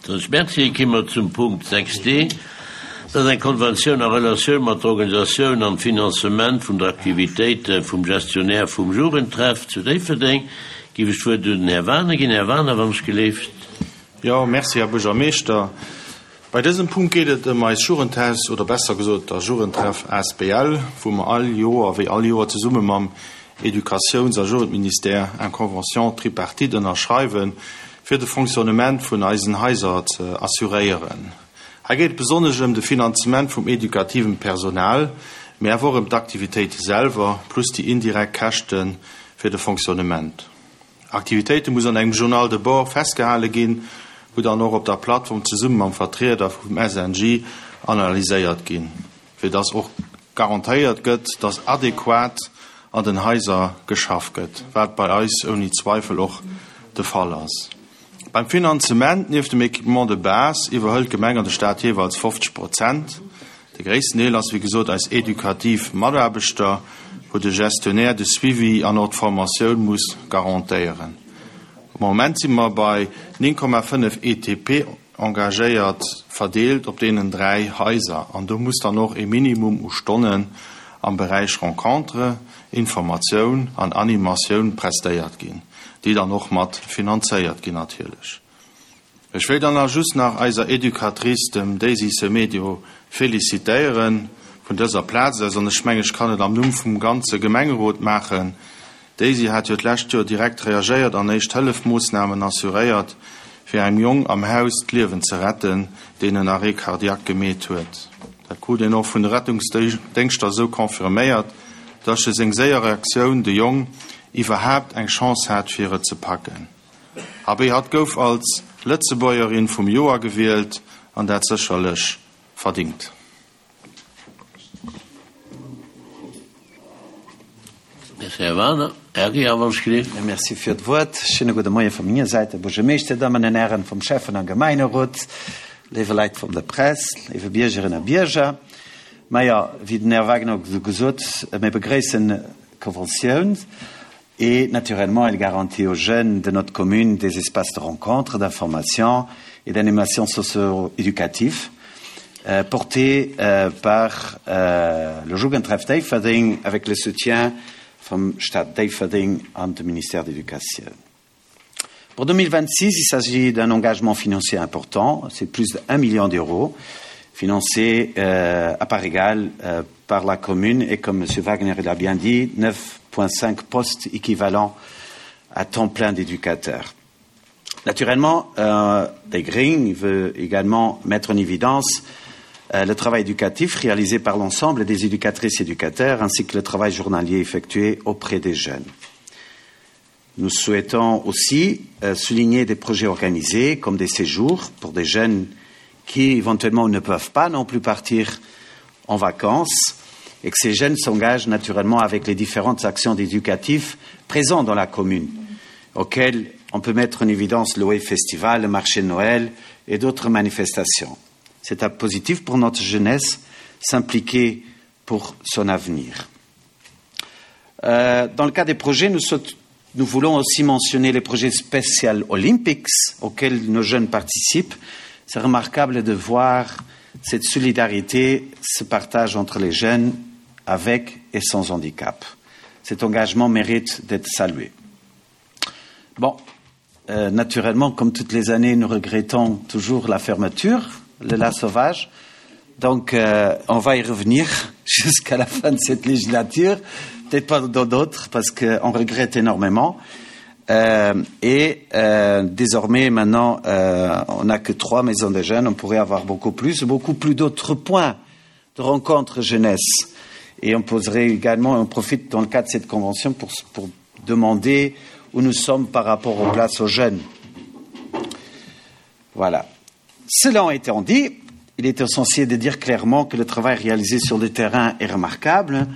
Soss Merci. Ki mer zum Punkt 6 d. Dat ass eng Konventioun a Relatioun mat der Organisatioun an Finanzement vun der Aktivitéite vum Gestionnaire vum Jugendtreff zu Déifferdeng. Giff ech d'Wuert un den Här Wagener ginn. Här Wagener, wann ech geleeft. Jo, merci, Här Buergermeeschter. Bei dësem Punkt geet et ëm eis Jugendhaus, oder besser gesot der Jugendtreff asbl, wou mer all Joer, wéi all Joer zesumme mam Educatiouns a Jugendministère eng Convention tripartite ënnerschreiwen, fir de Fonctionnement vun eisen Haiser ze assuréieren. Hei geet et besonnesch ëm de Finanzement vum edukativen Personal, mee awer och ëm d'Aktivitéite selwer, plus déi indirekt Käschte fir de Fonctionnement. Aktivitéite muss an engem Journal de bord festgehale ginn, wou dann och op der Plattform zesumme mam Vertrieder vum SNJ analyséiert ginn, fir dass och garantéiert gëtt, dass adequat an den Haiser geschaff gëtt, wat bei eis ouni Zweifel och de Fall ass. Beim Finanzement, nieft dem Équipement de base, iwwerhëlt d'Gemeng an de Stat jeeweils 50 Prozent. De gréissten Deel ass wéi gesot eis edukativ Mataarbechter, wou de Gestionnaire de Suivi an och d'Formatioun muss garantéieren. Am Moment si mer bei 9,5 ETP engagéiert, verdeelt op deenen 3 Haiser. An do muss dann och e Minimum u Stonnen am Beräich Rencontre, Informatioun an Animatioun prestéiert ginn, déi dann och mat finanzéiert ginn natierlech. Ech wéilt dann nach just nach eiser Educatrice, dem Daisy Semedo, félicitéieren vun dëser Plaz aus, an ech mengen, ech kann et am Numm vum ganze Gemengerot maachen. D'Daisy hat jo d'lescht Joer direkt reagéiert an éischt Hëllefmoossnamen assuréiert, fir engem Jong am Haus d'Liewen ze retten, deen en Arrêt cardiaque gemeet huet. Dat krut een och vun de Rettungsdéngschter esou confirméiert, dass je seng séier Reaktioun de Jong iwwerhaapt eng Chance hat, fir et ze packen. Abee, hatt gouf als Lëtzebuergerin vum Joer gewielt an dat sécherlech verdingt. Merci, Här Wagener. Här Ria, wann ech gleef. Merci fir d'Wuert. Schéine gudde Moie vu menger Säit, Här Buergermeeschter, Dammen an Hären vum Schäffen a Gemeinerot, léiwe Leit vum der Press, léiwe Biergerinnen a Bierger. Majo, wéi den Här Wagener gesot, mir begréissen d'Konventioun. Et naturellement, elle garantit aux jeunes de notre commune des espaces de rencontre, d'information et d'animation socio-éducative euh, portés euh, par euh, le Jugendtreff Déifferdeng avec le soutien vum Stad Déifferdeng an dem Ministère d'Éducation. Pour 2026, il s'agit d'un engagement financier important, c'est plus d'un million d'euros financé euh, à part égale euh, par la commune et comme M. Wagner l'a bien dit, 9,5 postes équivalents à temps plein d'éducateurs. Naturellement, euh, des Green veut également mettre en évidence euh, le travail éducatif réalisé par l'ensemble des éducatrices et éducateurs ainsi que le travail journalier effectué auprès des jeunes. Nous souhaitons aussi euh, souligner des projets organisés comme des séjours pour des jeunes qui éventuellement ne peuvent pas non plus partir en vacances et que ces jeunes s'engagent naturellement avec les différentes actions éducatives présentes dans la commune, auxquelles on peut mettre en évidence l'OE Festival, le marché de Noël et d'autres manifestations. C'est un positif pour notre jeunesse s'impliquer pour son avenir. Euh, dans le cas des projets, nous, nous voulons aussi mentionner les projets spéciaux Olympics auxquels nos jeunes participent. C'est remarquable de voir cette solidarité se partage entre les jeunes avec et sans handicap. Cet engagement mérite d'être salué. Bon, euh, naturellement, comme toutes les années, nous regrettons toujours la fermeture de la sauvage. Donc, euh, on va y revenir jusqu'à la fin de cette législature, peut-être pas dans d'autres, parce qu'on regrette énormément. Euh, et euh, désormais, maintenant, euh, on n'a que trois maisons de jeunes, on pourrait avoir beaucoup plus, beaucoup plus d'autres points de rencontres jeunesse. Et on poserait également, on profite dans le cadre de cette convention pour, pour demander où nous sommes par rapport aux places aux jeunes. Voilà. Cela étant dit, il est essentiel de dire clairement que le travail réalisé sur le terrain est remarquable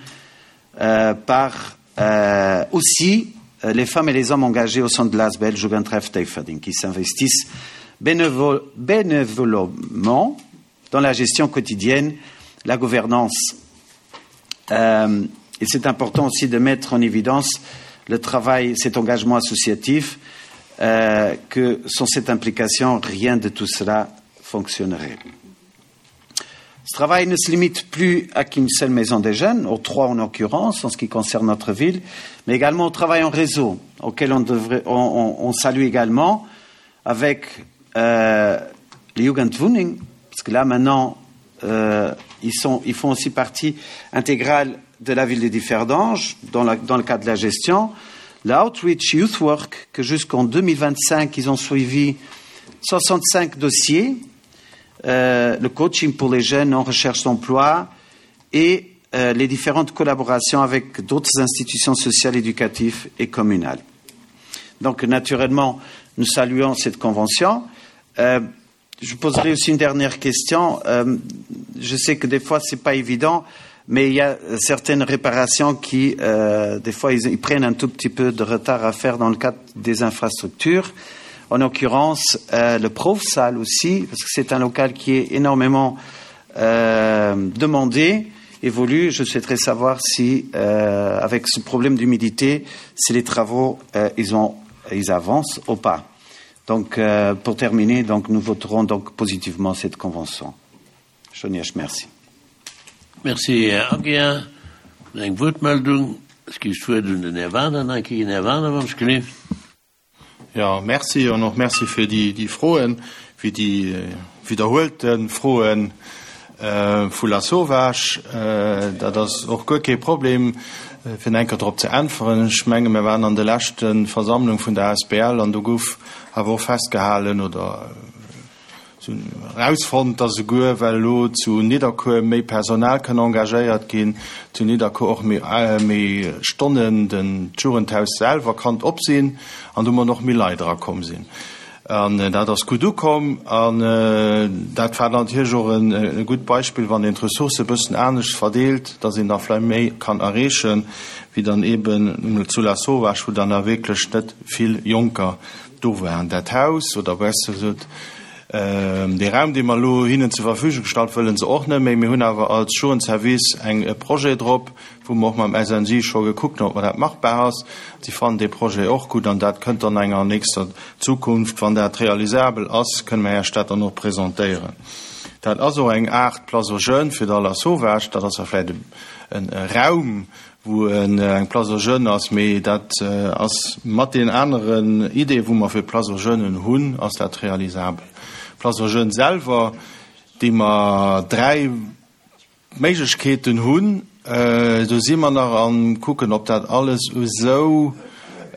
euh, par euh, aussi euh, les femmes et les hommes engagés au sein de l'ASBL Jugendtreff Teiferding qui s'investissent bénévol bénévolement dans la gestion quotidienne, la gouvernance. Euh, et c'est important aussi de mettre en évidence le travail, cet engagement associatif. euh, que sans cette implication, rien de tout cela fonctionnerait. Ce travail ne se limite plus à qu'une seule maison des jeunes, aux trois en occurrence en ce qui concerne notre ville, mais également au travail en réseau, auquel on, devrait, on, on, on salue également avec euh, les Jugendwuning, parce que là maintenant euh, ils, sont, ils font aussi partie intégrale de la ville de Differdange dans, la, dans le cadre de la gestion. L'Outreach Youth Work, que jusqu'en 2025, ils ont suivi 65 dossiers, euh, le coaching pour les jeunes en recherche d'emploi et euh, les différentes collaborations avec d'autres institutions sociales, éducatives et communales. Donc naturellement, nous saluons cette convention. Euh, je poserai aussi une dernière question. Euh, je sais que des fois, ce n'est pas évident, mais il y a certaines réparations qui, euh, des fois, ils, ils prennent un tout petit peu de retard à faire dans le cadre des infrastructures. En l'occurrence, euh, le Profsal aussi, parce que c'est un local qui est énormément euh, demandé, évolue. Je souhaiterais savoir si, euh, avec ce problème d'humidité, si les travaux euh, ils, ont, ils avancent ou pas. Donc, euh, pour terminer, donc, nous voterons donc positivement cette convention. Chonièche, merci. Merci, Här Aguiar. Eng Wuertmeldung? Ech ginn d'Wuert un den Här Wagener nach eng Kéier. Här Wagener, wann ech gelift. Jo, merci an och merci fir déi Froen, fir déi widderhuelte Froe vu Lasauvage. Dat ass och guer kee Problem, fir enker drop ze äntweren. Ech menge mir waren an de leschte Versammlung vun der asbl an do gouf awer och festgehalen oder, Se hunn erausfonnt, dass esouguer well elo zu Nidderkuer méi Personal kënn engagéiert ginn, zu Nidderkuer och méi Stonnen den d'Jugendhaus selwer kann op sinn an domat och méi Leit erakomm sinn. An dat ass gutt ukomm an dat war natierlech och e gutt Beispill, wann een d'Ressourcë e bëssen anescht verdeelt, dass een da vläicht méi kann erreechen, wéi dann eeben zu Lasauvage, wou dann da wierklech net vill Jonker Do war dat Haus, oder besser gesot, dee Raum, dee mer elo hinnen zur Verfügung gestallt, wëlle se och net méi. Mir hunn awer als Jugendservice eng e Projet drop, wou mer och mam SNJ scho gekuckt hunn, ob mer dat machbar ass. Si fannen dee Projet och gutt an dat kënnt dann enger nächster Zukunft, wann dat realisabel ass, kënne mer Iech dat dann och presentéieren. Dat ass och eng Aart Place aux jeunes fir d'A Lasauvage. Dat ass da vläicht e Raum, wou eng Place aux jeunes ass, mee dat ass mat deenen aneren Ideeën, wou mer fir d'Place aux jeunes hunn, ass dat realisabel. D'Place aux jeunes selwer, déi mer 3 Méiglechkeeten hunn, do si mer nach am Kucken, ob dat alles esou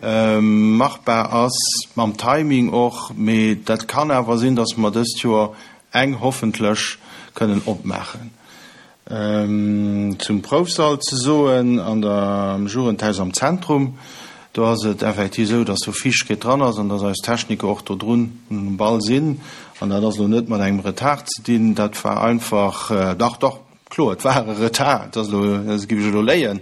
machbar ass, mam Timing och, mee dat kann awer sinn, dass mer dëst Joer eng hoffentlech kënnen opmaachen. Zum Proufsall ze soen, an der, am Jugendhaus am Zentrum, do ass et effektiv esou, dass do Fiichtegkeet dran ass an dass eis Techniker och do drun um Ball sinn. An dat ass elo net mat engem Retard ze dinn, dat war einfach, dach, dach, kloer, et war e Retard, dat ass elo, dat géif ech elo léien.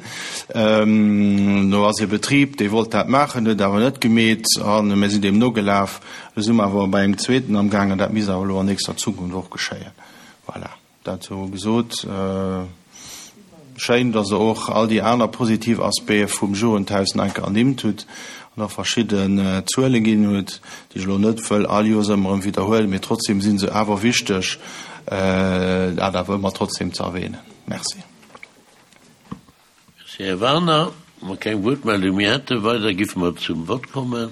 Do ass e Betrib, dee wollt dat maachen, huet et awer net gemeet a mir sinn deem nogelaf. Elo si mer awer bei engem zweeten amgaangen, dat misst awer elo an nächster Zukunft och geschéien. Voilà. Dat sou gesot, schéin, dass Der och all déi aner positiv Aspecte vum Jugendhaus nach eng Kéier ernimmt hutt an och verschidden Zuele ginn hutt, déi ech elo net wëll all Joers ëmmer erëm widderhuelen, mee trotzdem si se awer wichteg, dat awer ëmmer trotzdem ze erwähnen. Merci. Merci, Här Werner. Wa mer keng Wuertmeldung méi hätten, weider giffe mer zum Vott kommen.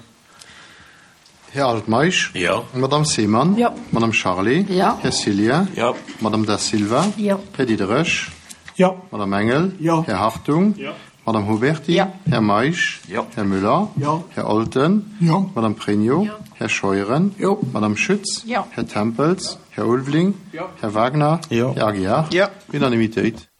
Här Altmeisch. Jo. Madame Seemann. Jo. Madame Charlé. Jo. Här Cillien. Jo. Madame Da Silva. Jo. Här Diderich. Jo. Madame Engel. Jo. Här Hartung. Jo. Madame Huberty. Jo. Här Meisch. Jo. Här Müller. Jo. Här Olten. Jo. Madame Pregno. Jo. Här Scheuren. Jo. Madame Schütz. Jo. Här Tempels. Här Ulveling. Jo. Här Wagner. Jo. Här Aguiar. Jo. Unanimitéit.